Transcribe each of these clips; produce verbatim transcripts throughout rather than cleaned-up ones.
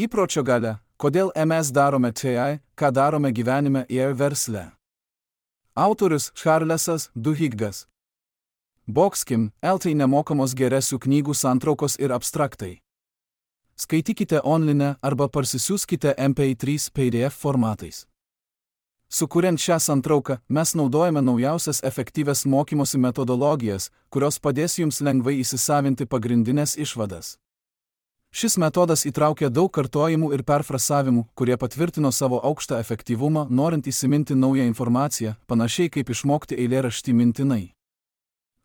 Įpročio galia. Kodėl mes darome tai, ką darome gyvenime ir versle. Autorius Charlesas Duhigas. Boxkim, eltai nemokamos geresių knygų santraukos ir abstraktai. Skaitykite online arba parsisiųskite M P trys P D F formatais. Sukuriant šią santrauką, mes naudojame naujausias efektyvias mokymosi metodologijas, kurios padės jums lengvai įsisavinti pagrindinės išvadas. Šis metodas įtraukia daug kartojimų ir perfrasavimų, kurie patvirtino savo aukštą efektyvumą, norint įsiminti naują informaciją, panašiai kaip išmokti eilėraštį mintinai.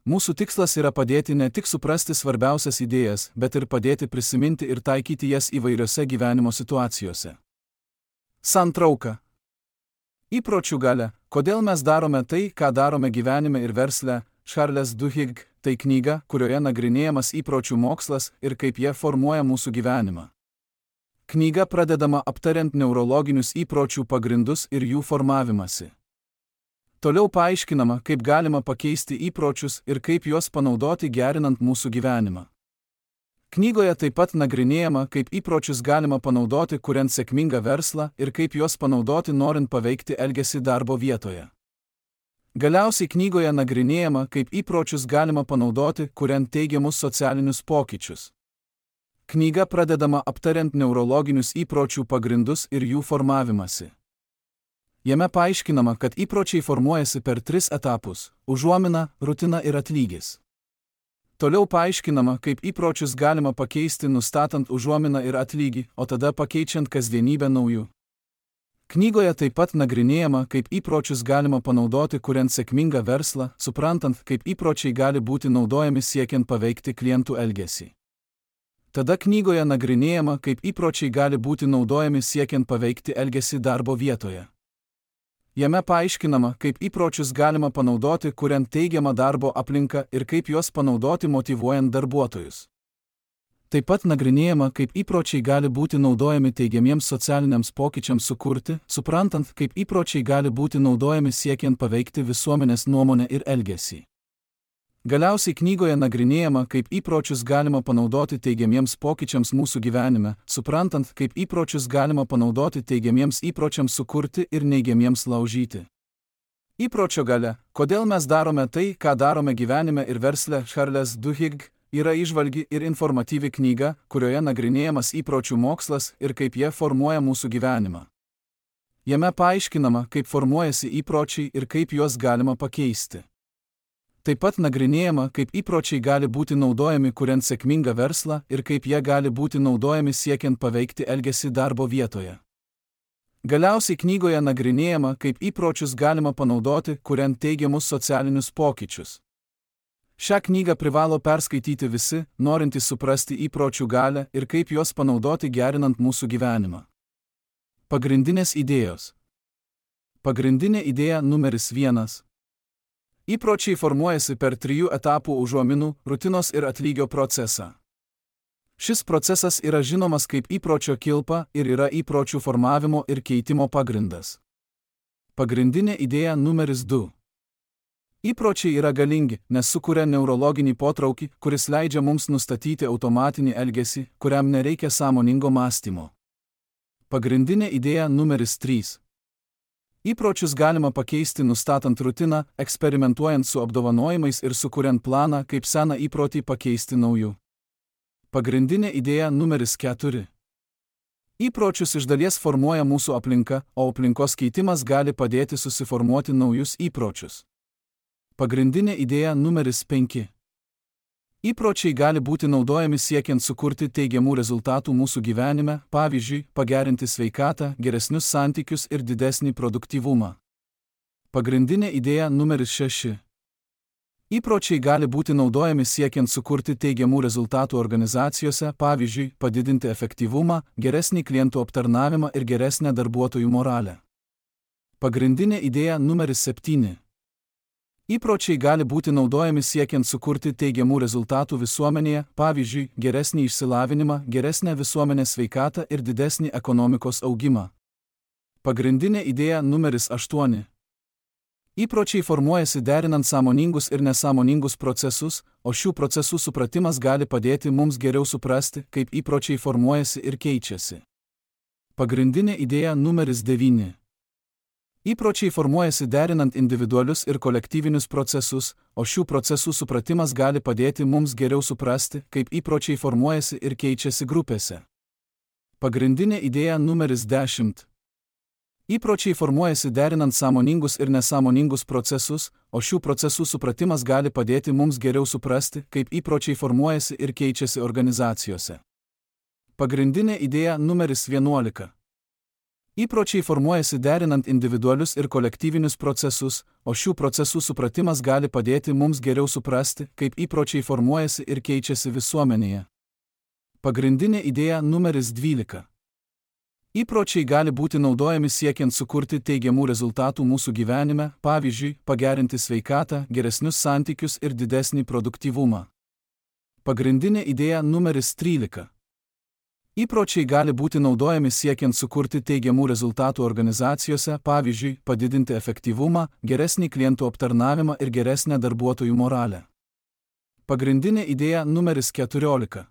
Mūsų tikslas yra padėti ne tik suprasti svarbiausias idėjas, bet ir padėti prisiminti ir taikyti jas įvairiose gyvenimo situacijose. Santrauka. Įpročių galia. Kodėl mes darome tai, ką darome gyvenime ir versle. Charles Duhigg. Tai knyga, kurioje nagrinėjamas įpročių mokslas ir kaip jie formuoja mūsų gyvenimą. Knyga pradedama aptariant neurologinius įpročių pagrindus ir jų formavimąsi. Toliau paaiškinama, kaip galima pakeisti įpročius ir kaip juos panaudoti gerinant mūsų gyvenimą. Knygoje taip pat nagrinėjama, kaip įpročius galima panaudoti kuriant sėkmingą verslą ir kaip juos panaudoti norint paveikti elgesį darbo vietoje. Galiausiai knygoje nagrinėjama, kaip įpročius galima panaudoti kuriant teigiamus socialinius pokyčius. Knyga pradedama aptariant neurologinius įpročių pagrindus ir jų formavimąsi. Jame paaiškinama, kad įpročiai formuojasi per tris etapus – užuomina, rutina ir atlygis. Toliau paaiškinama, kaip įpročius galima pakeisti nustatant užuominą ir atlygį, o tada pakeičiant kasdienybę naujų. Knygoje taip pat nagrinėjama, kaip įpročius galima panaudoti kuriant sėkmingą verslą, suprantant, kaip įpročiai gali būti naudojami siekiant paveikti klientų elgesį. Tada knygoje nagrinėjama, kaip įpročiai gali būti naudojami siekiant paveikti elgesį darbo vietoje. Jame paaiškinama, kaip įpročius galima panaudoti kuriant teigiamą darbo aplinką ir kaip juos panaudoti motyvuojant darbuotojus. Taip pat nagrinėjama, kaip įpročiai gali būti naudojami teigiamiems socialiniams pokyčiams sukurti, suprantant, kaip įpročiai gali būti naudojami siekiant paveikti visuomenės nuomonę ir elgesį. Galiausiai knygoje nagrinėjama, kaip įpročius galima panaudoti teigiamiems pokyčiams mūsų gyvenime, suprantant, kaip įpročius galima panaudoti teigiamiems įpročiams sukurti ir neigiamiems laužyti. Įpročio galia. Kodėl mes darome tai, ką darome gyvenime ir versle. Charles Duhigg. Yra įžvalgi ir informatyvi knyga, kurioje nagrinėjamas įpročių mokslas ir kaip jie formuoja mūsų gyvenimą. Jame paaiškinama, kaip formuojasi įpročiai ir kaip juos galima pakeisti. Taip pat nagrinėjama, kaip įpročiai gali būti naudojami kuriant sėkmingą verslą ir kaip jie gali būti naudojami siekiant paveikti elgesį darbo vietoje. Galiausiai knygoje nagrinėjama, kaip įpročius galima panaudoti kuriant teigiamus socialinius pokyčius. Šią knygą privalo perskaityti visi, norintys suprasti įpročių galią ir kaip juos panaudoti gerinant mūsų gyvenimą. Pagrindinės idėjos. Pagrindinė idėja numeris vienas. Įpročiai formuojasi per trijų etapų užuominų, rutinos ir atlygio procesą. Šis procesas yra žinomas kaip įpročio kilpa ir yra įpročių formavimo ir keitimo pagrindas. Pagrindinė idėja numeris du. Įpročiai yra galingi, nes sukuria neurologinį potraukį, kuris leidžia mums nustatyti automatinį elgesį, kuriam nereikia sąmoningo mąstymo. Pagrindinė idėja numeris trys. Įpročius galima pakeisti nustatant rutiną, eksperimentuojant su apdovanojimais ir sukuriant planą, kaip seną įprotį pakeisti nauju. Pagrindinė idėja numeris keturi. Įpročius iš dalies formuoja mūsų aplinka, o aplinkos keitimas gali padėti susiformuoti naujus įpročius. Pagrindinė idėja numeris penki. Įpročiai gali būti naudojami siekiant sukurti teigiamų rezultatų mūsų gyvenime, pavyzdžiui, pagerinti sveikatą, geresnius santykius ir didesnį produktyvumą. Pagrindinė idėja numeris šeši. Įpročiai gali būti naudojami siekiant sukurti teigiamų rezultatų organizacijose, pavyzdžiui, padidinti efektyvumą, geresnį klientų aptarnavimą ir geresnę darbuotojų moralę. Pagrindinė idėja numeris septyni. Įpročiai gali būti naudojami siekiant sukurti teigiamų rezultatų visuomenėje, pavyzdžiui, geresnį išsilavinimą, geresnę visuomenės sveikatą ir didesnį ekonomikos augimą. Pagrindinė idėja numeris aštuoni. Įpročiai formuojasi derinant sąmoningus ir nesąmoningus procesus, o šių procesų supratimas gali padėti mums geriau suprasti, kaip įpročiai formuojasi ir keičiasi. Pagrindinė idėja numeris devyni. Įpročiai formuojasi derinant individualius ir kolektyvinius procesus, o šių procesų supratimas gali padėti mums geriau suprasti, kaip įpročiai formuojasi ir keičiasi grupėse. Pagrindinė idėja numeris dešimt. Įpročiai formuojasi derinant sąmoningus ir nesąmoningus procesus, o šių procesų supratimas gali padėti mums geriau suprasti, kaip įpročiai formuojasi ir keičiasi organizacijose. Pagrindinė idėja numeris vienuolika. Įpročiai formuojasi derinant individualius ir kolektyvinius procesus, o šių procesų supratimas gali padėti mums geriau suprasti, kaip įpročiai formuojasi ir keičiasi visuomenėje. Pagrindinė idėja numeris dvylika. Įpročiai gali būti naudojami siekiant sukurti teigiamų rezultatų mūsų gyvenime, pavyzdžiui, pagerinti sveikatą, geresnius santykius ir didesnį produktyvumą. Pagrindinė idėja numeris trylika. Įpročiai gali būti naudojami siekiant sukurti teigiamų rezultatų organizacijose, pavyzdžiui, padidinti efektyvumą, geresnį klientų aptarnavimą ir geresnę darbuotojų moralę. Pagrindinė idėja numeris keturiolika.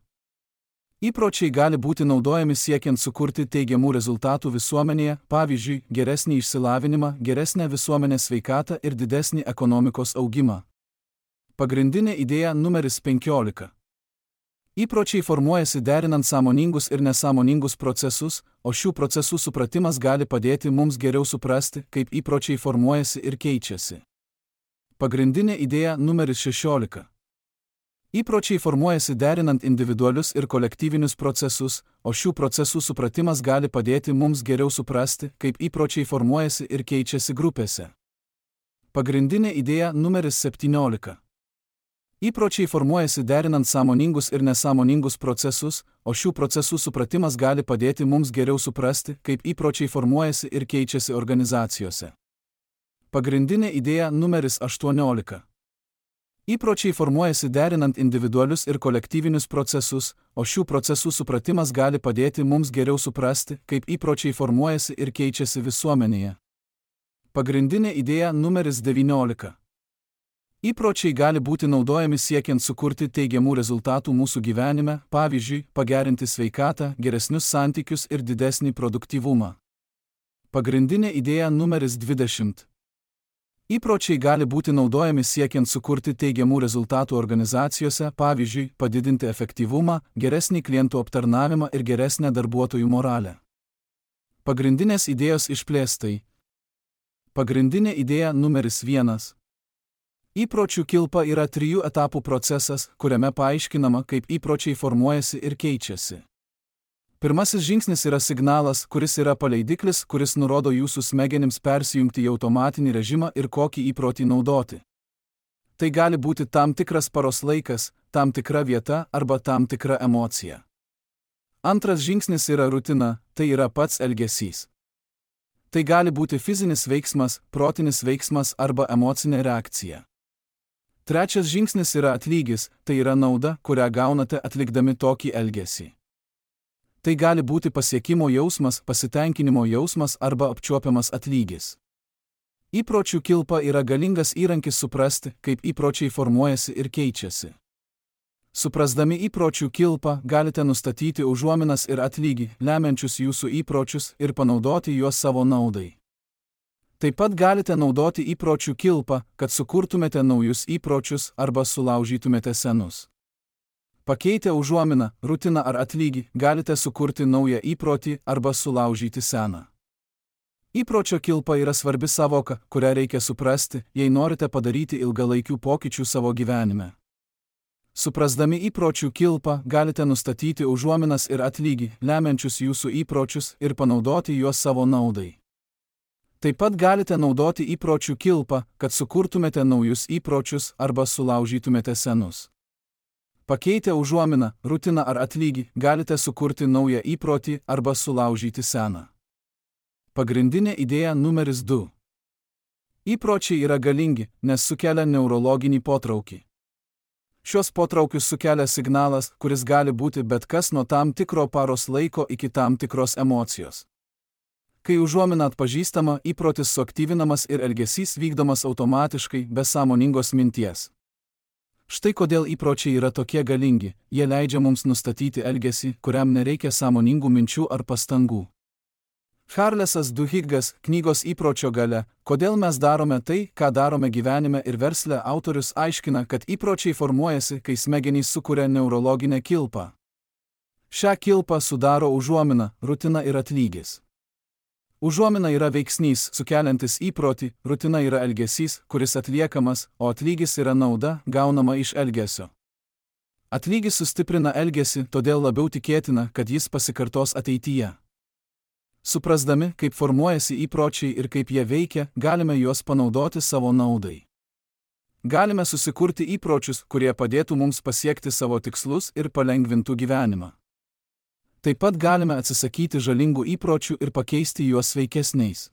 Įpročiai gali būti naudojami siekiant sukurti teigiamų rezultatų visuomenėje, pavyzdžiui, geresnį išsilavinimą, geresnę visuomenės sveikatą ir didesnį ekonomikos augimą. Pagrindinė idėja numeris penkiolika. Įpročiai formuojasi derinant sąmoningus ir nesąmoningus procesus, o šių procesų supratimas gali padėti mums geriau suprasti, kaip įpročiai formuojasi ir keičiasi. Pagrindinė idėja numeris šešiolika. Įpročiai formuojasi derinant individualius ir kolektyvinius procesus, o šių procesų supratimas gali padėti mums geriau suprasti, kaip įpročiai formuojasi ir keičiasi grupėse. Pagrindinė idėja numeris septyniolika. Įpročiai formuojasi derinant sąmoningus ir nesąmoningus procesus, o šių procesų supratimas gali padėti mums geriau suprasti, kaip įpročiai formuojasi ir keičiasi organizacijose. Pagrindinė idėja numeris aštuoniolika. Įpročiai formuojasi derinant individualius ir kolektyvinius procesus, o šių procesų supratimas gali padėti mums geriau suprasti, kaip įpročiai formuojasi ir keičiasi visuomenėje. Pagrindinė idėja numeris devyniolika. Įpročiai gali būti naudojami siekiant sukurti teigiamų rezultatų mūsų gyvenime, pavyzdžiui, pagerinti sveikatą, geresnius santykius ir didesnį produktyvumą. Pagrindinė idėja numeris dvidešimt. Įpročiai gali būti naudojami siekiant sukurti teigiamų rezultatų organizacijose, pavyzdžiui, padidinti efektyvumą, geresnį klientų aptarnavimą ir geresnę darbuotojų moralę. Pagrindinės idėjos išplėstai. Pagrindinė idėja numeris vienas. Įpročių kilpa yra trijų etapų procesas, kuriame paaiškinama, kaip įpročiai formuojasi ir keičiasi. Pirmasis žingsnis yra signalas, kuris yra paleidiklis, kuris nurodo jūsų smegenims persijungti į automatinį režimą ir kokį įprotį naudoti. Tai gali būti tam tikras paros laikas, tam tikra vieta arba tam tikra emocija. Antras žingsnis yra rutina, tai yra pats elgesys. Tai gali būti fizinis veiksmas, protinis veiksmas arba emocinė reakcija. Trečias žingsnis yra atlygis, tai yra nauda, kurią gaunate atlikdami tokį elgesį. Tai gali būti pasiekimo jausmas, pasitenkinimo jausmas arba apčiuopiamas atlygis. Įpročių kilpa yra galingas įrankis suprasti, kaip įpročiai formuojasi ir keičiasi. Suprasdami įpročių kilpą, galite nustatyti užuominas ir atlygį, lemiančius jūsų įpročius ir panaudoti juos savo naudai. Taip pat galite naudoti įpročių kilpą, kad sukurtumėte naujus įpročius arba sulaužytumėte senus. Pakeitę užuominą, rutiną ar atlygį, galite sukurti naują įprotį arba sulaužyti seną. Įpročio kilpa yra svarbi savoka, kurią reikia suprasti, jei norite padaryti ilgalaikių pokyčių savo gyvenime. Suprasdami įpročių kilpą, galite nustatyti užuominas ir atlygį, lemiančius jūsų įpročius ir panaudoti juos savo naudai. Taip pat galite naudoti įpročių kilpą, kad sukurtumėte naujus įpročius arba sulaužytumėte senus. Pakeitę užuominą, rutiną ar atlygį, galite sukurti naują įprotį arba sulaužyti seną. Pagrindinė idėja numeris du. Įpročiai yra galingi, nes sukelia neurologinį potraukį. Šios potraukius sukelia signalas, kuris gali būti bet kas nuo tam tikro paros laiko iki tam tikros emocijos. Kai užuomina atpažįstama, įprotis suaktyvinamas ir elgesys vykdomas automatiškai, be sąmoningos minties. Štai kodėl įpročiai yra tokie galingi, jie leidžia mums nustatyti elgesį, kuriam nereikia sąmoningų minčių ar pastangų. Charlesas Duhiggas, knygos įpročio galia, kodėl mes darome tai, ką darome gyvenime ir versle, autorius aiškina, kad įpročiai formuojasi, kai smegenys sukuria neurologinę kilpą. Šią kilpą sudaro užuomina, rutina ir atlygis. Užuomina yra veiksnys, sukeliantis įprotį, rutina yra elgesys, kuris atliekamas, o atlygis yra nauda, gaunama iš elgesio. Atlygis sustiprina elgesį, todėl labiau tikėtina, kad jis pasikartos ateityje. Suprasdami, kaip formuojasi įpročiai ir kaip jie veikia, galime juos panaudoti savo naudai. Galime susikurti įpročius, kurie padėtų mums pasiekti savo tikslus ir palengvintų gyvenimą. Taip pat galime atsisakyti žalingų įpročių ir pakeisti juos sveikesniais.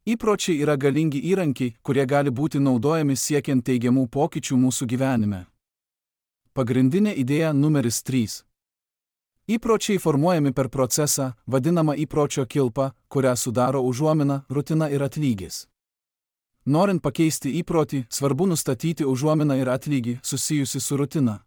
Įpročiai yra galingi įrankiai, kurie gali būti naudojami siekiant teigiamų pokyčių mūsų gyvenime. Pagrindinė idėja numeris trys. Įpročiai formuojami per procesą, vadinamą įpročio kilpą, kurią sudaro užuomina, rutina ir atlygis. Norint pakeisti įprotį, svarbu nustatyti užuominą ir atlygį susijusi su rutina.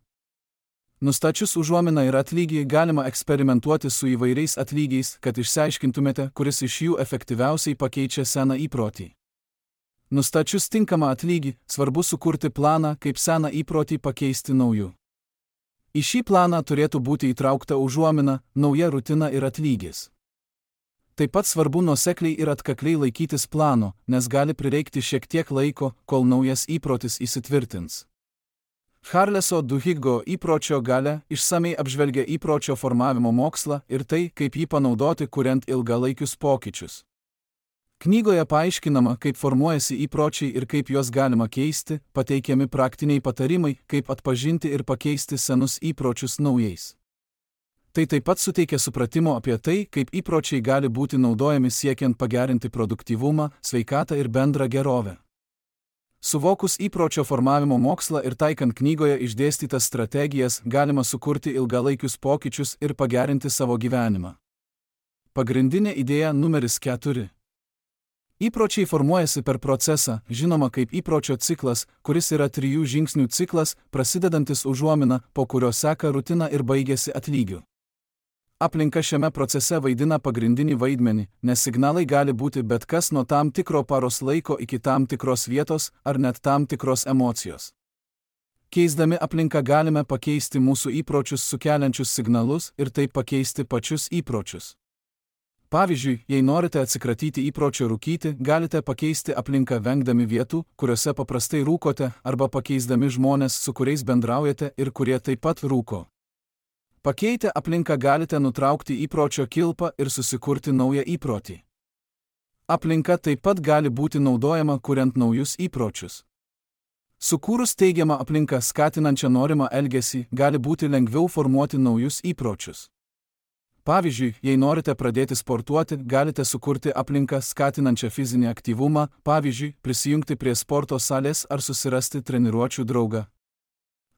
Nustačius užuominą ir atlygį, galima eksperimentuoti su įvairiais atlygiais, kad išsiaiškintumėte, kuris iš jų efektyviausiai pakeičia seną įprotį. Nustačius tinkamą atlygį, svarbu sukurti planą, kaip seną įprotį pakeisti nauju. Į šį planą turėtų būti įtraukta užuomina, nauja rutina ir atlygis. Taip pat svarbu nuosekliai ir atkakliai laikytis plano, nes gali prireikti šiek tiek laiko, kol naujas įprotis įsitvirtins. Charleso Duhiggo įpročio galia išsamei apžvelgia įpročio formavimo mokslą ir tai, kaip jį panaudoti, kuriant ilgalaikius pokyčius. Knygoje paaiškinama, kaip formuojasi įpročiai ir kaip juos galima keisti, pateikiami praktiniai patarimai, kaip atpažinti ir pakeisti senus įpročius naujais. Tai taip pat suteikia supratimo apie tai, kaip įpročiai gali būti naudojami siekiant pagerinti produktyvumą, sveikatą ir bendrą gerovę. Suvokus įpročio formavimo mokslą ir taikant knygoje išdėstytas strategijas, galima sukurti ilgalaikius pokyčius ir pagerinti savo gyvenimą. Pagrindinė idėja numeris keturi. Įpročiai formuojasi per procesą, žinoma kaip įpročio ciklas, kuris yra trijų žingsnių ciklas, prasidedantis užuomina, po kurio seka rutina ir baigiasi atlygiu. Aplinka šiame procese vaidina pagrindinį vaidmenį, nes signalai gali būti bet kas nuo tam tikro paros laiko iki tam tikros vietos ar net tam tikros emocijos. Keisdami aplinką galime pakeisti mūsų įpročius sukeliančius signalus ir taip pakeisti pačius įpročius. Pavyzdžiui, jei norite atsikratyti įpročio rūkyti, galite pakeisti aplinką vengdami vietų, kuriuose paprastai rūkote, arba pakeisdami žmonės, su kuriais bendraujate ir kurie taip pat rūko. Pakeitę aplinką galite nutraukti įpročio kilpą ir susikurti naują įprotį. Aplinka taip pat gali būti naudojama kuriant naujus įpročius. Sukūrus teigiamą aplinką skatinančią norimą elgesį, gali būti lengviau formuoti naujus įpročius. Pavyzdžiui, jei norite pradėti sportuoti, galite sukurti aplinką skatinančią fizinį aktyvumą, pavyzdžiui, prisijungti prie sporto salės ar susirasti treniruočių draugą.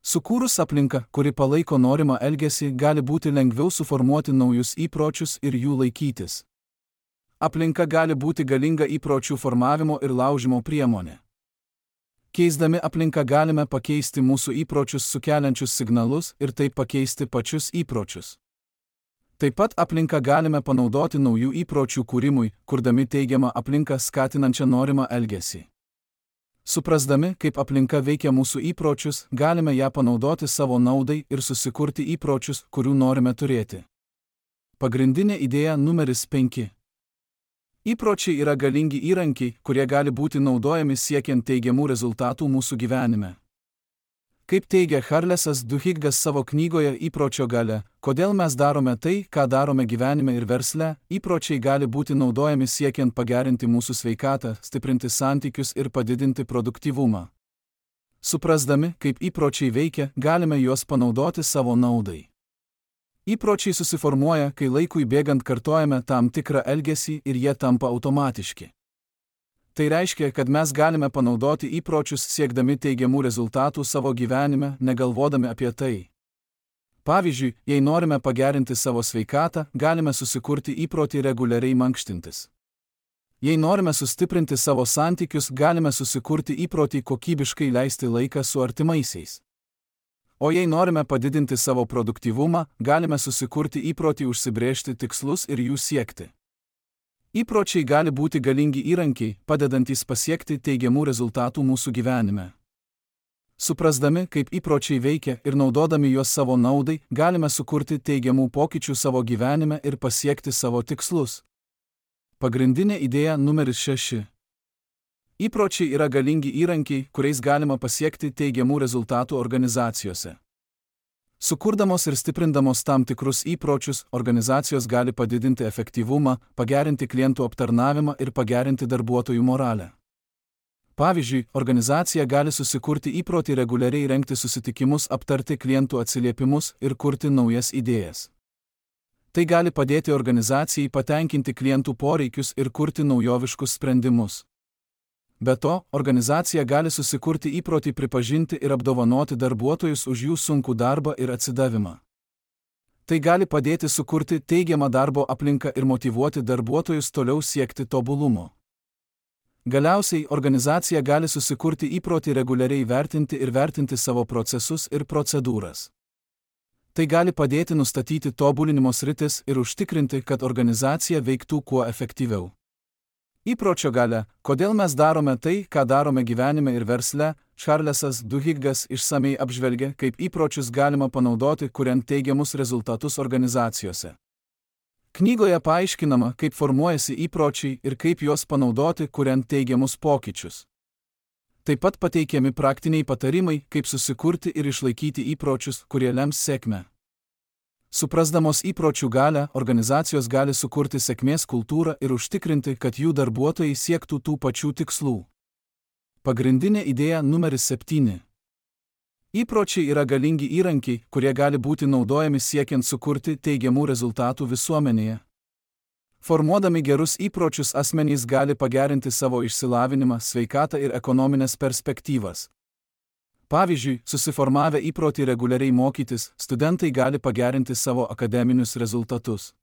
Sukūrus aplinką, kuri palaiko norimą elgesį, gali būti lengviau suformuoti naujus įpročius ir jų laikytis. Aplinka gali būti galinga įpročių formavimo ir laužymo priemonė. Keisdami aplinką galime pakeisti mūsų įpročius sukeliančius signalus ir taip pakeisti pačius įpročius. Taip pat aplinką galime panaudoti naujų įpročių kūrimui, kurdami teigiamą aplinką skatinančią norimą elgesį. Suprasdami, kaip aplinka veikia mūsų įpročius, galime ją panaudoti savo naudai ir susikurti įpročius, kurių norime turėti. Pagrindinė idėja numeris penki. Įpročiai yra galingi įrankiai, kurie gali būti naudojami siekiant teigiamų rezultatų mūsų gyvenime. Kaip teigia Charlesas Duhiggas savo knygoje Įpročio galia, kodėl mes darome tai, ką darome gyvenime ir versle, įpročiai gali būti naudojami siekiant pagerinti mūsų sveikatą, stiprinti santykius ir padidinti produktyvumą. Suprasdami, kaip įpročiai veikia, galime juos panaudoti savo naudai. Įpročiai susiformuoja, kai laikui bėgant kartojame tam tikrą elgesį ir jie tampa automatiški. Tai reiškia, kad mes galime panaudoti įpročius siekdami teigiamų rezultatų savo gyvenime, negalvodami apie tai. Pavyzdžiui, jei norime pagerinti savo sveikatą, galime susikurti įprotį reguliariai mankštintis. Jei norime sustiprinti savo santykius, galime susikurti įprotį kokybiškai leisti laiką su artimaisiais. O jei norime padidinti savo produktyvumą, galime susikurti įprotį užsibrėžti tikslus ir jų siekti. Įpročiai gali būti galingi įrankiai, padedantys pasiekti teigiamų rezultatų mūsų gyvenime. Suprasdami, kaip įpročiai veikia ir naudodami juos savo naudai, galime sukurti teigiamų pokyčių savo gyvenime ir pasiekti savo tikslus. Pagrindinė idėja numeris šeši. Įpročiai yra galingi įrankiai, kuriais galima pasiekti teigiamų rezultatų organizacijose. Sukurdamos ir stiprindamos tam tikrus įpročius, organizacijos gali padidinti efektyvumą, pagerinti klientų aptarnavimą ir pagerinti darbuotojų moralę. Pavyzdžiui, organizacija gali susikurti įprotį reguliariai rengti susitikimus, aptarti klientų atsiliepimus ir kurti naujas idėjas. Tai gali padėti organizacijai patenkinti klientų poreikius ir kurti naujoviškus sprendimus. Be to, organizacija gali susikurti įprotį pripažinti ir apdovanoti darbuotojus už jų sunkų darbą ir atsidavimą. Tai gali padėti sukurti teigiamą darbo aplinką ir motyvuoti darbuotojus toliau siekti tobulumo. Galiausiai, organizacija gali susikurti įprotį reguliariai vertinti ir vertinti savo procesus ir procedūras. Tai gali padėti nustatyti tobulinimo sritis ir užtikrinti, kad organizacija veiktų kuo efektyviau. Įpročio galia, kodėl mes darome tai, ką darome gyvenime ir versle, Čarlesas Duhigas išsamei apžvelgia, kaip įpročius galima panaudoti, kuriant teigiamus rezultatus organizacijose. Knygoje paaiškinama, kaip formuojasi įpročiai ir kaip juos panaudoti, kuriant teigiamus pokyčius. Taip pat pateikiami praktiniai patarimai, kaip susikurti ir išlaikyti įpročius, kurie lems sėkmę. Suprasdamos įpročių galią, organizacijos gali sukurti sėkmės kultūrą ir užtikrinti, kad jų darbuotojai siektų tų pačių tikslų. Pagrindinė idėja numeris septyni. Įpročiai yra galingi įrankiai, kurie gali būti naudojami siekiant sukurti teigiamų rezultatų visuomenėje. Formuodami gerus įpročius asmenys gali pagerinti savo išsilavinimą, sveikatą ir ekonominės perspektyvas. Pavyzdžiui, susiformavę įprotį reguliariai mokytis, studentai gali pagerinti savo akademinius rezultatus.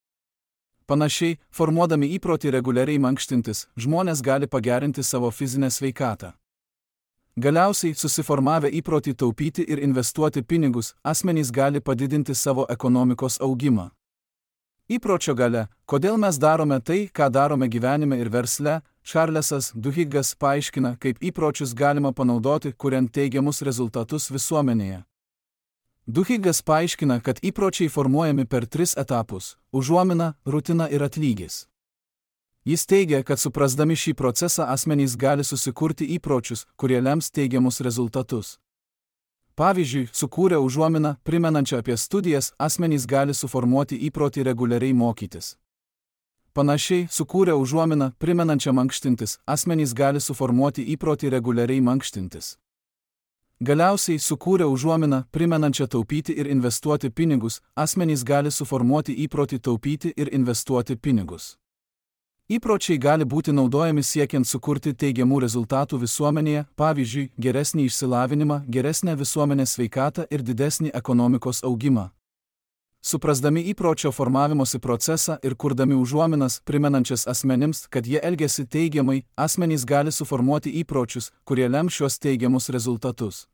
Panašiai, formuodami įprotį reguliariai mankštintis, žmonės gali pagerinti savo fizinę sveikatą. Galiausiai, susiformavę įprotį taupyti ir investuoti pinigus, asmenys gali padidinti savo ekonomikos augimą. Įpročio galia, kodėl mes darome tai, ką darome gyvenime ir versle, Čarlesas Duhigas paaiškina, kaip įpročius galima panaudoti, kuriant teigiamus rezultatus visuomenėje. Duhigas paaiškina, kad įpročiai formuojami per tris etapus – užuomina, rutina ir atlygis. Jis teigia, kad suprasdami šį procesą asmenys gali susikurti įpročius, kurie lems teigiamus rezultatus. Pavyzdžiui, sukūrę užuominą, primenančią apie studijas, asmenys gali suformuoti įprotį reguliariai mokytis. Panašiai, sukūrę užuominą, primenančią mankštintis, asmenys gali suformuoti įprotį reguliariai mankštintis. Galiausiai, sukūrę užuominą, primenančią taupyti ir investuoti pinigus, asmenys gali suformuoti įprotį taupyti ir investuoti pinigus. Įpročiai gali būti naudojami siekiant sukurti teigiamų rezultatų visuomenėje, pavyzdžiui, geresnį išsilavinimą, geresnę visuomenės sveikatą ir didesnį ekonomikos augimą. Suprasdami įpročio formavimosi procesą ir kurdami užuominas, primenančias asmenims, kad jie elgiasi teigiamai, asmenys gali suformuoti įpročius, kurie lem šios teigiamus rezultatus.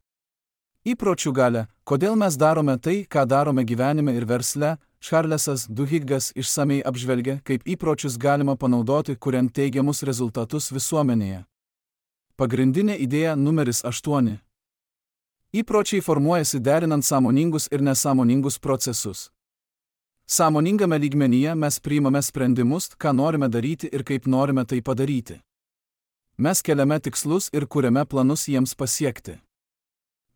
Įpročių galia, kodėl mes darome tai, ką darome gyvenime ir versle, Čarlesas Duhigas išsamei apžvelgia, kaip įpročius galima panaudoti, kuriant teigiamus rezultatus visuomenėje. Pagrindinė idėja numeris aštuoni. Įpročiai formuojasi derinant sąmoningus ir nesąmoningus procesus. Sąmoningame lygmenyje mes priimame sprendimus, ką norime daryti ir kaip norime tai padaryti. Mes keliame tikslus ir kuriame planus jiems pasiekti.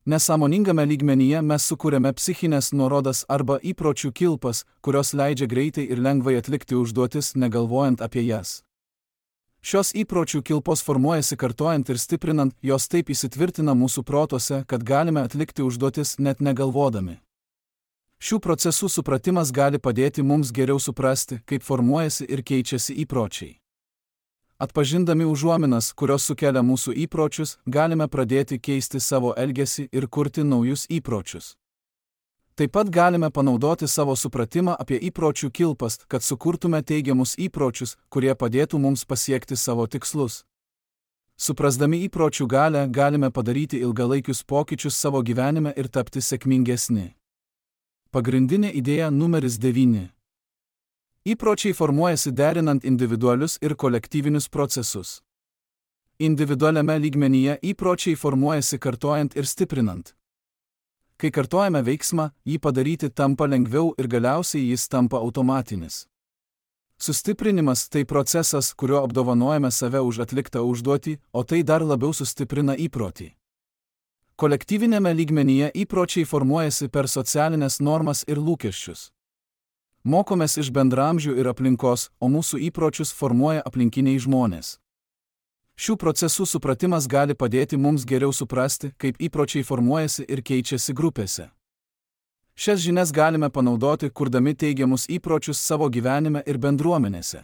Nesąmoningame lygmenyje mes sukūrėme psichinės nuorodas arba įpročių kilpas, kurios leidžia greitai ir lengvai atlikti užduotis, negalvojant apie jas. Šios įpročių kilpos formuojasi kartojant ir stiprinant, jos taip įsitvirtina mūsų protuose, kad galime atlikti užduotis net negalvodami. Šių procesų supratimas gali padėti mums geriau suprasti, kaip formuojasi ir keičiasi įpročiai. Atpažindami užuominas, kurios sukelia mūsų įpročius, galime pradėti keisti savo elgesį ir kurti naujus įpročius. Taip pat galime panaudoti savo supratimą apie įpročių kilpas, kad sukurtume teigiamus įpročius, kurie padėtų mums pasiekti savo tikslus. Suprasdami įpročių galią, galime padaryti ilgalaikius pokyčius savo gyvenime ir tapti sėkmingesni. Pagrindinė idėja numeris devyni. Įpročiai formuojasi derinant individualius ir kolektyvinius procesus. Individualiame lygmenyje įpročiai formuojasi kartojant ir stiprinant. Kai kartojame veiksmą, jį padaryti tampa lengviau ir galiausiai jis tampa automatinis. Sustiprinimas tai procesas, kuriuo apdovanojame save už atliktą užduotį, o tai dar labiau sustiprina įprotį. Kolektyvinėme lygmenyje įpročiai formuojasi per socialinės normas ir lūkesčius. Mokomės iš bendramžių ir aplinkos, o mūsų įpročius formuoja aplinkiniai žmonės. Šių procesų supratimas gali padėti mums geriau suprasti, kaip įpročiai formuojasi ir keičiasi grupėse. Šias žinias galime panaudoti, kurdami teigiamus įpročius savo gyvenime ir bendruomenėse.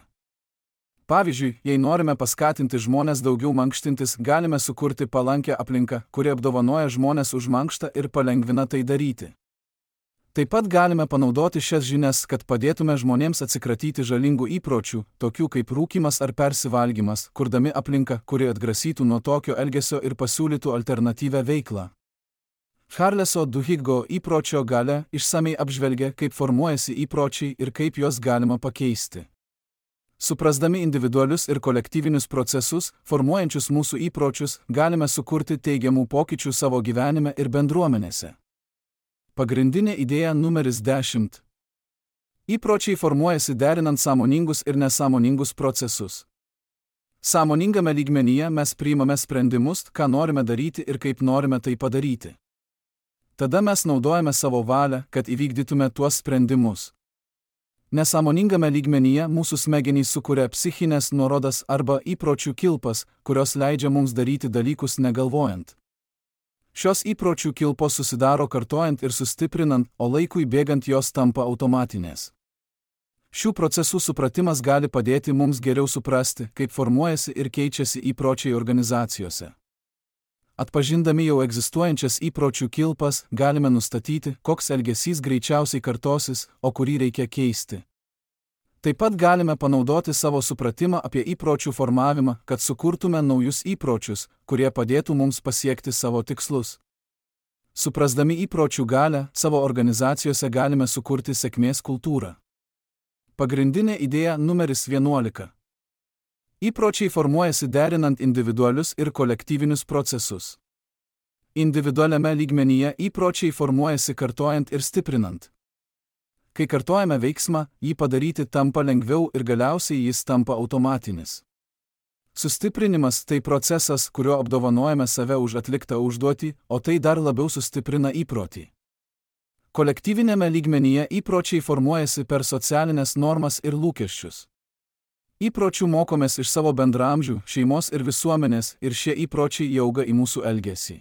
Pavyzdžiui, jei norime paskatinti žmonės daugiau mankštintis, galime sukurti palankią aplinką, kuri apdovanoja žmonės už mankštą ir palengvina tai daryti. Taip pat galime panaudoti šias žinias, kad padėtume žmonėms atsikratyti žalingų įpročių, tokių kaip rūkymas ar persivalgymas, kurdami aplinką, kuri atgrasytų nuo tokio elgesio ir pasiūlytų alternatyvią veiklą. Charleso Duhiggo įpročio galia išsamei apžvelgia, kaip formuojasi įpročiai ir kaip juos galima pakeisti. Suprasdami individualius ir kolektyvinius procesus, formuojančius mūsų įpročius, galime sukurti teigiamų pokyčių savo gyvenime ir bendruomenėse. Pagrindinė idėja numeris dešimt. Įpročiai formuojasi derinant sąmoningus ir nesąmoningus procesus. Sąmoningame lygmenyje mes priimame sprendimus, ką norime daryti ir kaip norime tai padaryti. Tada mes naudojame savo valią, kad įvykdytume tuos sprendimus. Nesąmoningame lygmenyje mūsų smegenys sukuria psichinės nuorodas arba įpročių kilpas, kurios leidžia mums daryti dalykus negalvojant. Šios įpročių kilpos susidaro kartojant ir sustiprinant, o laikui bėgant jos tampa automatinės. Šių procesų supratimas gali padėti mums geriau suprasti, kaip formuojasi ir keičiasi įpročiai organizacijose. Atpažindami jau egzistuojančias įpročių kilpas, galime nustatyti, koks elgesys greičiausiai kartosis, o kurį reikia keisti. Taip pat galime panaudoti savo supratimą apie įpročių formavimą, kad sukurtume naujus įpročius, kurie padėtų mums pasiekti savo tikslus. Suprasdami įpročių galią, savo organizacijose galime sukurti sėkmės kultūrą. Pagrindinė idėja numeris vienuolika. Įpročiai formuojasi derinant individualius ir kolektyvinius procesus. Individualiame lygmenyje įpročiai formuojasi kartojant ir stiprinant. Kai kartojame veiksmą, jį padaryti tampa lengviau ir galiausiai jis tampa automatinis. Sustiprinimas tai procesas, kuriuo apdovanojame save už atliktą užduotį, o tai dar labiau sustiprina įprotį. Kolektyvinėme lygmenyje įpročiai formuojasi per socialinės normas ir lūkesčius. Įpročių mokomės iš savo bendramžių, šeimos ir visuomenės, ir šie įpročiai įauga į mūsų elgesį.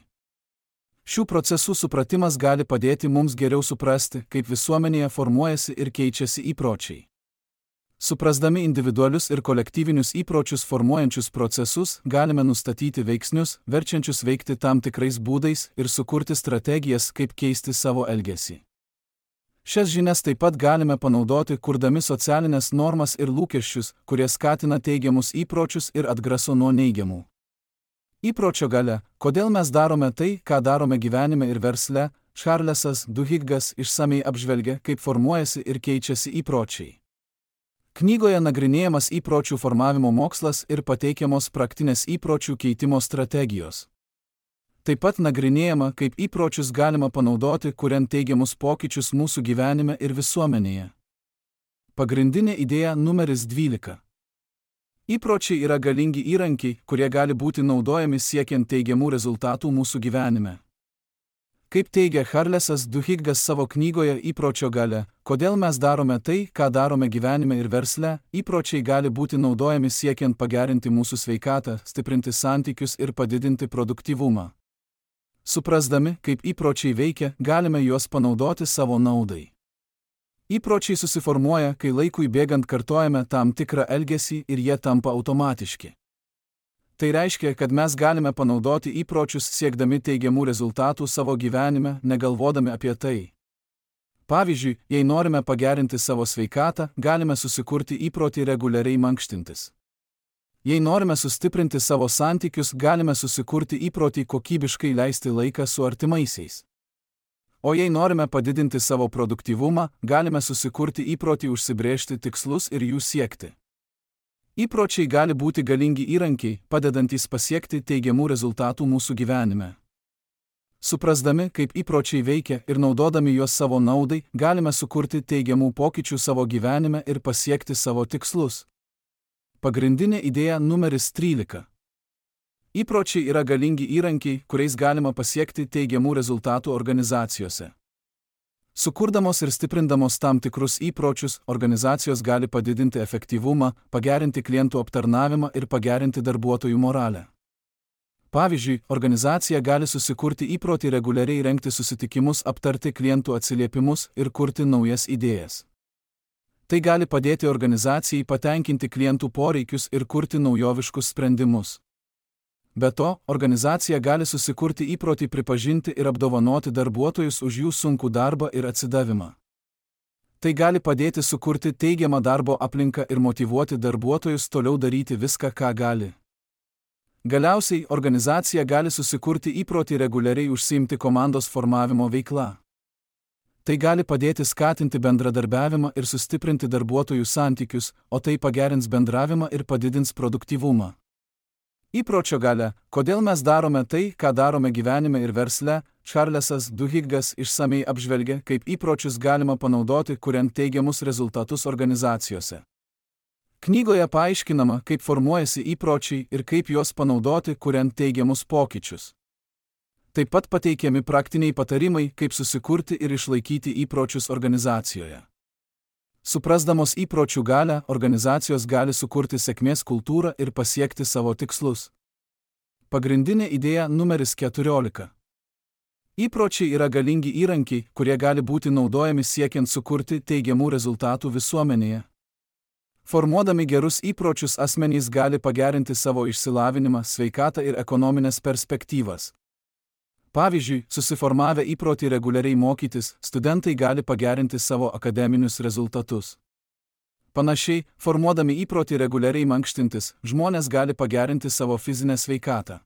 Šių procesų supratimas gali padėti mums geriau suprasti, kaip visuomenėje formuojasi ir keičiasi įpročiai. Suprasdami individualius ir kolektyvinius įpročius formuojančius procesus, galime nustatyti veiksnius, verčiančius veikti tam tikrais būdais ir sukurti strategijas, kaip keisti savo elgesį. Šias žinias taip pat galime panaudoti, kurdami socialinės normas ir lūkesčius, kurie skatina teigiamus įpročius ir atgraso nuo neigiamų. Įpročio galia, kodėl mes darome tai, ką darome gyvenime ir versle, Charlesas Duhiggas išsamei apžvelgia, kaip formuojasi ir keičiasi įpročiai. Knygoje nagrinėjamas įpročių formavimo mokslas ir pateikiamos praktinės įpročių keitimo strategijos. Taip pat nagrinėjama, kaip įpročius galima panaudoti, kuriant teigiamus pokyčius mūsų gyvenime ir visuomenėje. Pagrindinė idėja numeris dvylika. Įpročiai yra galingi įrankiai, kurie gali būti naudojami siekiant teigiamų rezultatų mūsų gyvenime. Kaip teigia Charlesas Duhiggas savo knygoje Įpročio galia, kodėl mes darome tai, ką darome gyvenime ir versle, įpročiai gali būti naudojami siekiant pagerinti mūsų sveikatą, stiprinti santykius ir padidinti produktyvumą. Suprasdami, kaip įpročiai veikia, galime juos panaudoti savo naudai. Įpročiai susiformuoja, kai laikui bėgant kartojame tam tikrą elgesį ir jie tampa automatiški. Tai reiškia, kad mes galime panaudoti įpročius siekdami teigiamų rezultatų savo gyvenime, negalvodami apie tai. Pavyzdžiui, jei norime pagerinti savo sveikatą, galime susikurti įprotį reguliariai mankštintis. Jei norime sustiprinti savo santykius, galime susikurti įprotį kokybiškai leisti laiką su artimaisiais. O jei norime padidinti savo produktyvumą, galime susikurti įprotį užsibrėžti tikslus ir jų siekti. Įpročiai gali būti galingi įrankiai, padedantys pasiekti teigiamų rezultatų mūsų gyvenime. Suprasdami, kaip įpročiai veikia ir naudodami juos savo naudai, galime sukurti teigiamų pokyčių savo gyvenime ir pasiekti savo tikslus. Pagrindinė idėja numeris trylika. Įpročiai yra galingi įrankiai, kuriais galima pasiekti teigiamų rezultatų organizacijose. Sukurdamos ir stiprindamos tam tikrus įpročius, organizacijos gali padidinti efektyvumą, pagerinti klientų aptarnavimą ir pagerinti darbuotojų moralę. Pavyzdžiui, organizacija gali susikurti įprotį reguliariai rengti susitikimus, aptarti klientų atsiliepimus ir kurti naujas idėjas. Tai gali padėti organizacijai patenkinti klientų poreikius ir kurti naujoviškus sprendimus. Be to, organizacija gali susikurti įprotį pripažinti ir apdovanoti darbuotojus už jų sunkų darbą ir atsidavimą. Tai gali padėti sukurti teigiamą darbo aplinką ir motyvuoti darbuotojus toliau daryti viską, ką gali. Galiausiai, organizacija gali susikurti įprotį reguliariai užsiimti komandos formavimo veikla. Tai gali padėti skatinti bendradarbiavimą ir sustiprinti darbuotojų santykius, o tai pagerins bendravimą ir padidins produktyvumą. Įpročio galia, kodėl mes darome tai, ką darome gyvenime ir versle, Charlesas Duhigas išsamei apžvelgia, kaip įpročius galima panaudoti, kuriant teigiamus rezultatus organizacijose. Knygoje paaiškinama, kaip formuojasi įpročiai ir kaip juos panaudoti, kuriant teigiamus pokyčius. Taip pat pateikiami praktiniai patarimai, kaip susikurti ir išlaikyti įpročius organizacijoje. Suprasdamos įpročių galią, organizacijos gali sukurti sėkmės kultūrą ir pasiekti savo tikslus. Pagrindinė idėja numeris keturiolika. Įpročiai yra galingi įrankiai, kurie gali būti naudojami siekiant sukurti teigiamų rezultatų visuomenėje. Formuodami gerus įpročius asmenys gali pagerinti savo išsilavinimą, sveikatą ir ekonominės perspektyvas. Pavyzdžiui, susiformavę įprotį reguliariai mokytis, studentai gali pagerinti savo akademinius rezultatus. Panašiai, formuodami įprotį reguliariai mankštintis, žmonės gali pagerinti savo fizinę sveikatą.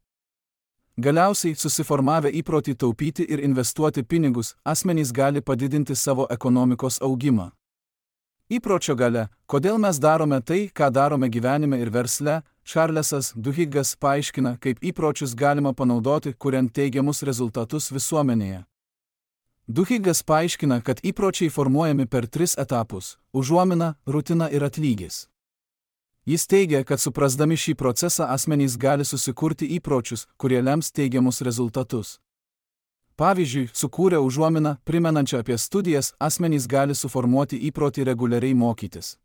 Galiausiai, susiformavę įprotį taupyti ir investuoti pinigus, asmenys gali padidinti savo ekonomikos augimą. Įpročio galia, kodėl mes darome tai, ką darome gyvenime ir versle, Charlesas Duhigas paaiškina, kaip įpročius galima panaudoti, kuriant teigiamus rezultatus visuomenėje. Duhigas paaiškina, kad įpročiai formuojami per tris etapus – užuomina, rutina ir atlygis. Jis teigia, kad suprasdami šį procesą asmenys gali susikurti įpročius, kurie lems teigiamus rezultatus. Pavyzdžiui, sukūrę užuominą, primenančią apie studijas, asmenys gali suformuoti įprotį reguliariai mokytis.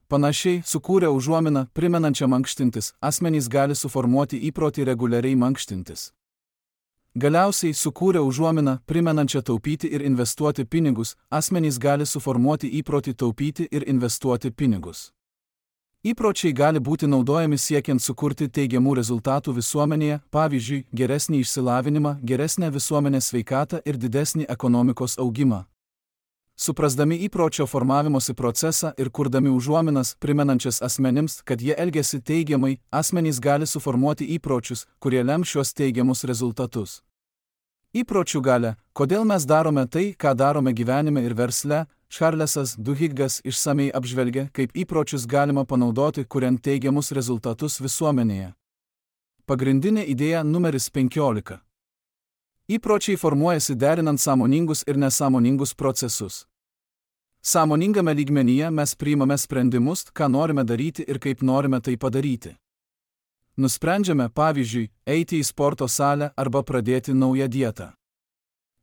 Panašiai, sukūrę užuominą, primenančią mankštintis, asmenys gali suformuoti įprotį reguliariai mankštintis. Galiausiai, sukūrę užuominą, primenančią taupyti ir investuoti pinigus, asmenys gali suformuoti įprotį taupyti ir investuoti pinigus. Įpročiai gali būti naudojami siekiant sukurti teigiamų rezultatų visuomenėje, pavyzdžiui, geresnį išsilavinimą, geresnę visuomenės sveikatą ir didesnį ekonomikos augimą. Suprasdami įpročio formavimosi procesą ir kurdami užuominas, primenančias asmenims, kad jie elgiasi teigiamai, asmenys gali suformuoti įpročius, kurie lem šios teigiamus rezultatus. Įpročių galia, kodėl mes darome tai, ką darome gyvenime ir versle, Charlesas Duhigas išsamei apžvelgia, kaip įpročius galima panaudoti, kuriant teigiamus rezultatus visuomenėje. Pagrindinė idėja numeris penkiolika. Įpročiai formuojasi derinant sąmoningus ir nesąmoningus procesus. Sąmoningame lygmenyje mes priimame sprendimus, ką norime daryti ir kaip norime tai padaryti. Nusprendžiame, pavyzdžiui, eiti į sporto salę arba pradėti naują dietą.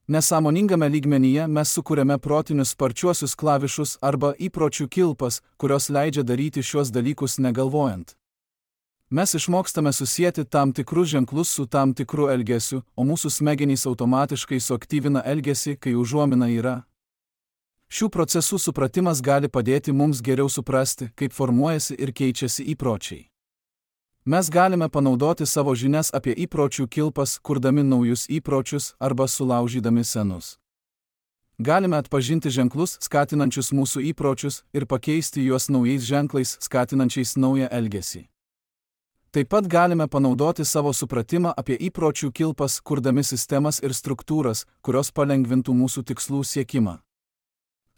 Nesąmoningame lygmenyje mes sukūrėme protinius sparčiuosius klavišus arba įpročių kilpas, kurios leidžia daryti šios dalykus negalvojant. Mes išmokstame susijęti tam tikrus ženklus su tam tikru elgesiu, o mūsų smegenys automatiškai suaktyvina elgesį, kai užuomina yra. Šių procesų supratimas gali padėti mums geriau suprasti, kaip formuojasi ir keičiasi įpročiai. Mes galime panaudoti savo žinias apie įpročių kilpas, kurdami naujus įpročius arba sulaužydami senus. Galime atpažinti ženklus, skatinančius mūsų įpročius, ir pakeisti juos naujais ženklais, skatinančiais naują elgesį. Taip pat galime panaudoti savo supratimą apie įpročių kilpas, kurdami sistemas ir struktūras, kurios palengvintų mūsų tikslų siekimą.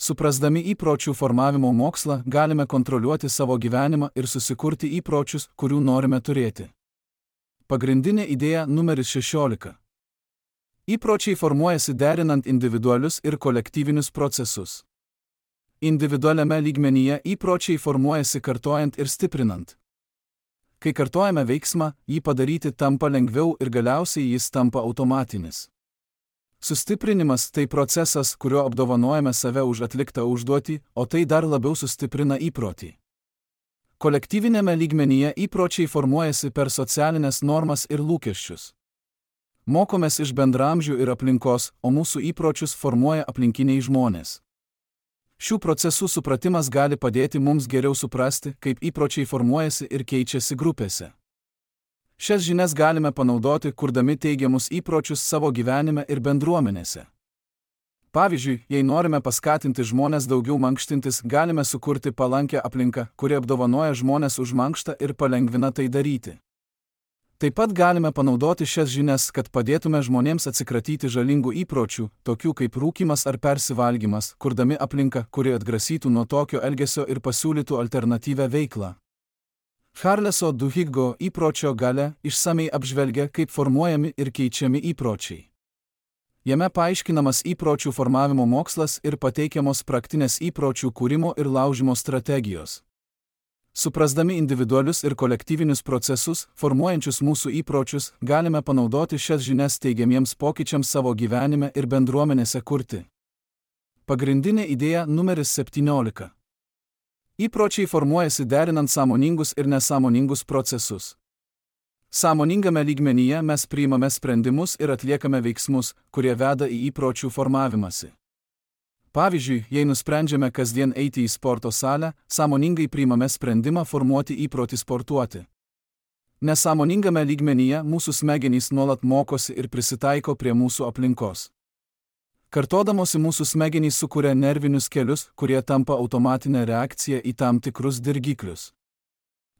Suprasdami įpročių formavimo mokslą, galime kontroliuoti savo gyvenimą ir susikurti įpročius, kurių norime turėti. Pagrindinė idėja numeris šešiolika. Įpročiai formuojasi derinant individualius ir kolektyvinius procesus. Individualiame lygmenyje įpročiai formuojasi kartojant ir stiprinant. Kai kartojame veiksmą, jį padaryti tampa lengviau ir galiausiai jis tampa automatinis. Sustiprinimas tai procesas, kuriuo apdovanojame save už atliktą užduotį, o tai dar labiau sustiprina įprotį. Kolektyvinėme lygmenyje įpročiai formuojasi per socialinės normas ir lūkesčius. Mokomės iš bendramžių ir aplinkos, o mūsų įpročius formuoja aplinkiniai žmonės. Šių procesų supratimas gali padėti mums geriau suprasti, kaip įpročiai formuojasi ir keičiasi grupėse. Šias žinias galime panaudoti, kurdami teigiamus įpročius savo gyvenime ir bendruomenėse. Pavyzdžiui, jei norime paskatinti žmonės daugiau mankštintis, galime sukurti palankią aplinką, kuri apdovanoja žmonės už mankštą ir palengvina tai daryti. Taip pat galime panaudoti šias žinias, kad padėtume žmonėms atsikratyti žalingų įpročių, tokių kaip rūkymas ar persivalgymas, kurdami aplinką, kuri atgrasytų nuo tokio elgesio ir pasiūlytų alternatyvią veiklą. Charleso Duhiggo įpročio galia išsamei apžvelgia, kaip formuojami ir keičiami įpročiai. Jame paaiškinamas įpročių formavimo mokslas ir pateikiamos praktinės įpročių kūrimo ir laužimo strategijos. Suprasdami individualius ir kolektyvinius procesus, formuojančius mūsų įpročius, galime panaudoti šias žinias teigiamiems pokyčiams savo gyvenime ir bendruomenėse kurti. Pagrindinė idėja numeris septyniolika. Įpročiai formuojasi derinant sąmoningus ir nesąmoningus procesus. Sąmoningame lygmenyje mes priimame sprendimus ir atliekame veiksmus, kurie veda į įpročių formavimąsi. Pavyzdžiui, jei nusprendžiame kasdien eiti į sporto salę, sąmoningai priimame sprendimą formuoti įprotį sportuoti. Nesąmoningame lygmenyje mūsų smegenys nuolat mokosi ir prisitaiko prie mūsų aplinkos. Kartodamosi mūsų smegenys sukuria nervinius kelius, kurie tampa automatinė reakcija į tam tikrus dirgiklius.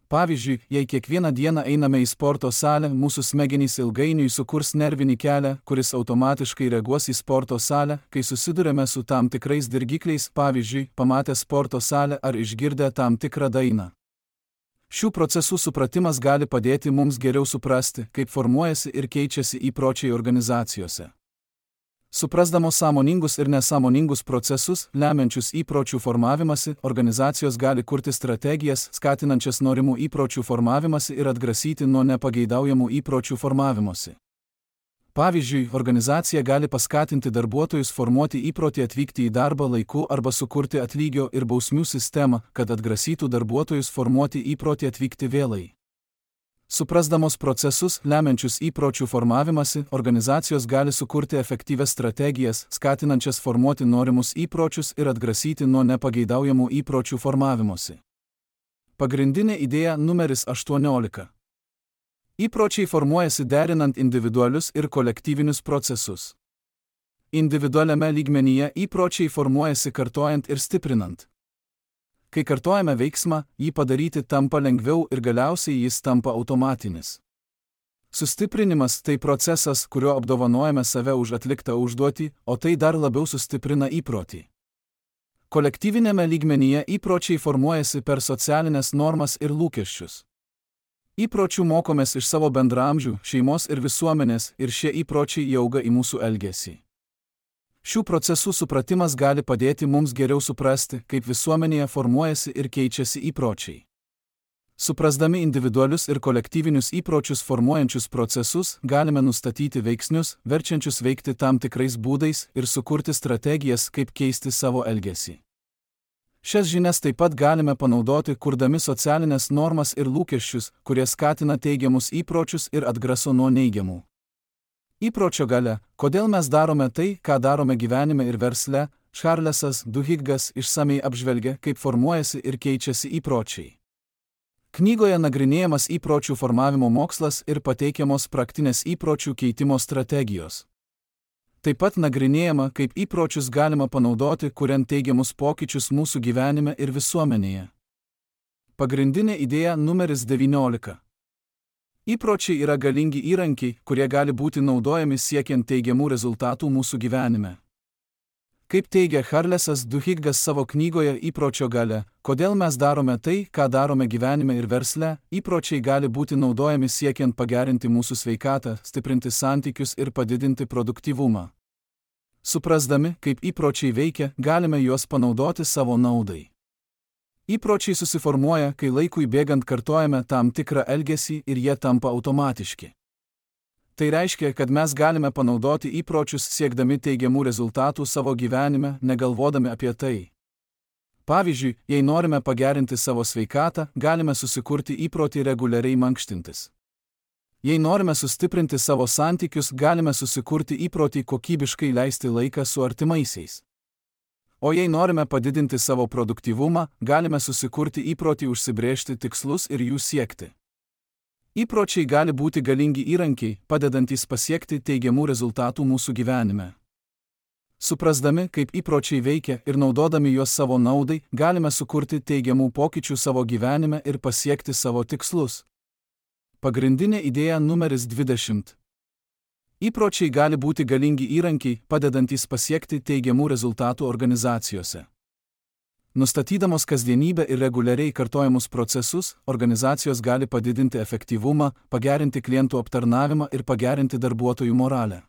Pavyzdžiui, jei kiekvieną dieną einame į sporto salę, mūsų smegenys ilgainiui sukurs nervinį kelią, kuris automatiškai reaguos į sporto salę, kai susidurėme su tam tikrais dirgikliais, pavyzdžiui, pamatę sporto salę ar išgirdę tam tikrą dainą. Šių procesų supratimas gali padėti mums geriau suprasti, kaip formuojasi ir keičiasi įpročiai organizacijose. Suprasdamos sąmoningus ir nesąmoningus procesus, lemiančius įpročių formavimąsi, organizacijos gali kurti strategijas, skatinančias norimų įpročių formavimąsi ir atgrasyti nuo nepageidaujamų įpročių formavimosi. Pavyzdžiui, organizacija gali paskatinti darbuotojus formuoti įprotį atvykti į darbą laiku arba sukurti atlygio ir bausmių sistemą, kad atgrasytų darbuotojus formuoti įprotį atvykti vėlai. Suprasdamos procesus, lemiančius įpročių formavimąsi, organizacijos gali sukurti efektyvias strategijas, skatinančias formuoti norimus įpročius ir atgrasyti nuo nepageidaujamų įpročių formavimosi. Pagrindinė idėja numeris aštuoniolika. Įpročiai formuojasi derinant individualius ir kolektyvinius procesus. Individualiame lygmenyje įpročiai formuojasi kartojant ir stiprinant. Kai kartojame veiksmą, jį padaryti tampa lengviau ir galiausiai jis tampa automatinis. Sustiprinimas tai procesas, kuriuo apdovanojame save už atliktą užduotį, o tai dar labiau sustiprina įprotį. Kolektyvinėme lygmenyje įpročiai formuojasi per socialinės normas ir lūkesčius. Įpročių mokomės iš savo bendraamžių, šeimos ir visuomenės, ir šie įpročiai įauga į mūsų elgesį. Šių procesų supratimas gali padėti mums geriau suprasti, kaip visuomenėje formuojasi ir keičiasi įpročiai. Suprasdami individualius ir kolektyvinius įpročius formuojančius procesus, galime nustatyti veiksnius, verčiančius veikti tam tikrais būdais ir sukurti strategijas, kaip keisti savo elgesį. Šias žinias taip pat galime panaudoti, kurdami socialinės normas ir lūkesčius, kurie skatina teigiamus įpročius ir atgraso nuo neigiamų. Įpročio galia, kodėl mes darome tai, ką darome gyvenime ir versle, Charlesas Duhiggas išsamei apžvelgia, kaip formuojasi ir keičiasi įpročiai. Knygoje nagrinėjamas įpročių formavimo mokslas ir pateikiamos praktinės įpročių keitimo strategijos. Taip pat nagrinėjama, kaip įpročius galima panaudoti, kuriant teigiamus pokyčius mūsų gyvenime ir visuomenėje. Pagrindinė idėja numeris devyniolika. Įpročiai yra galingi įrankiai, kurie gali būti naudojami siekiant teigiamų rezultatų mūsų gyvenime. Kaip teigia Charlesas Duhiggas savo knygoje Įpročio galia, kodėl mes darome tai, ką darome gyvenime ir versle, įpročiai gali būti naudojami siekiant pagerinti mūsų sveikatą, stiprinti santykius ir padidinti produktyvumą. Suprasdami, kaip įpročiai veikia, galime juos panaudoti savo naudai. Įpročiai susiformuoja, kai laikui bėgant kartojame tam tikrą elgesį ir jie tampa automatiški. Tai reiškia, kad mes galime panaudoti įpročius siekdami teigiamų rezultatų savo gyvenime, negalvodami apie tai. Pavyzdžiui, jei norime pagerinti savo sveikatą, galime susikurti įprotį reguliariai mankštintis. Jei norime sustiprinti savo santykius, galime susikurti įprotį kokybiškai leisti laiką su artimaisiais. O jei norime padidinti savo produktyvumą, galime susikurti įprotį užsibrėžti tikslus ir jų siekti. Įpročiai gali būti galingi įrankiai, padedantys pasiekti teigiamų rezultatų mūsų gyvenime. Suprasdami, kaip įpročiai veikia ir naudodami juos savo naudai, galime sukurti teigiamų pokyčių savo gyvenime ir pasiekti savo tikslus. Pagrindinė idėja numeris dvidešimt. Įpročiai gali būti galingi įrankiai, padedantys pasiekti teigiamų rezultatų organizacijose. Nustatydamos kasdienybę ir reguliariai kartojamus procesus, organizacijos gali padidinti efektyvumą, pagerinti klientų aptarnavimą ir pagerinti darbuotojų moralę.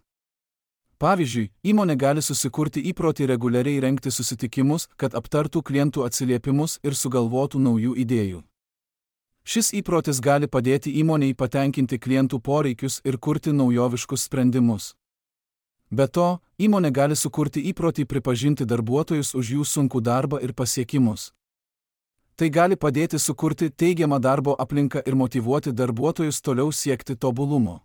Pavyzdžiui, įmonė gali susikurti įprotį reguliariai rengti susitikimus, kad aptartų klientų atsiliepimus ir sugalvotų naujų idėjų. Šis įprotis gali padėti įmonei patenkinti klientų poreikius ir kurti naujoviškus sprendimus. Be to, įmonė gali sukurti įprotį pripažinti darbuotojus už jų sunkų darbą ir pasiekimus. Tai gali padėti sukurti teigiamą darbo aplinką ir motyvuoti darbuotojus toliau siekti tobulumo.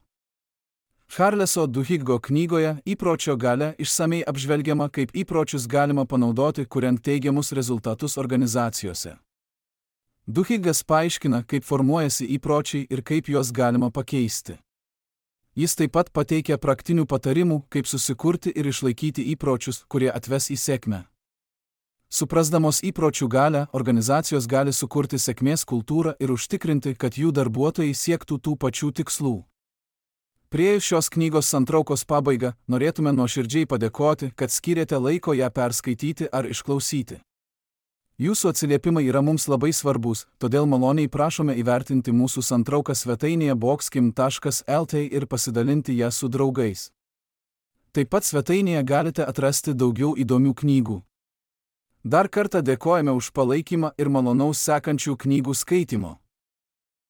Charleso Duhiggo knygoje Įpročio galia išsamei apžvelgiama, kaip įpročius galima panaudoti, kuriant teigiamus rezultatus organizacijose. Duhiggas paaiškina, kaip formuojasi įpročiai ir kaip juos galima pakeisti. Jis taip pat pateikia praktinių patarimų, kaip susikurti ir išlaikyti įpročius, kurie atves į sėkmę. Suprasdamos įpročių galią, organizacijos gali sukurti sėkmės kultūrą ir užtikrinti, kad jų darbuotojai siektų tų pačių tikslų. Priėjus šios knygos santraukos pabaigą, norėtume nuoširdžiai padėkoti, kad skyrėte laiko ją perskaityti ar išklausyti. Jūsų atsiliepimai yra mums labai svarbus, todėl maloniai prašome įvertinti mūsų santrauką svetainėje boxkim taškas lt ir pasidalinti ją su draugais. Taip pat svetainėje galite atrasti daugiau įdomių knygų. Dar kartą dėkojame už palaikymą ir malonaus sekančių knygų skaitimo.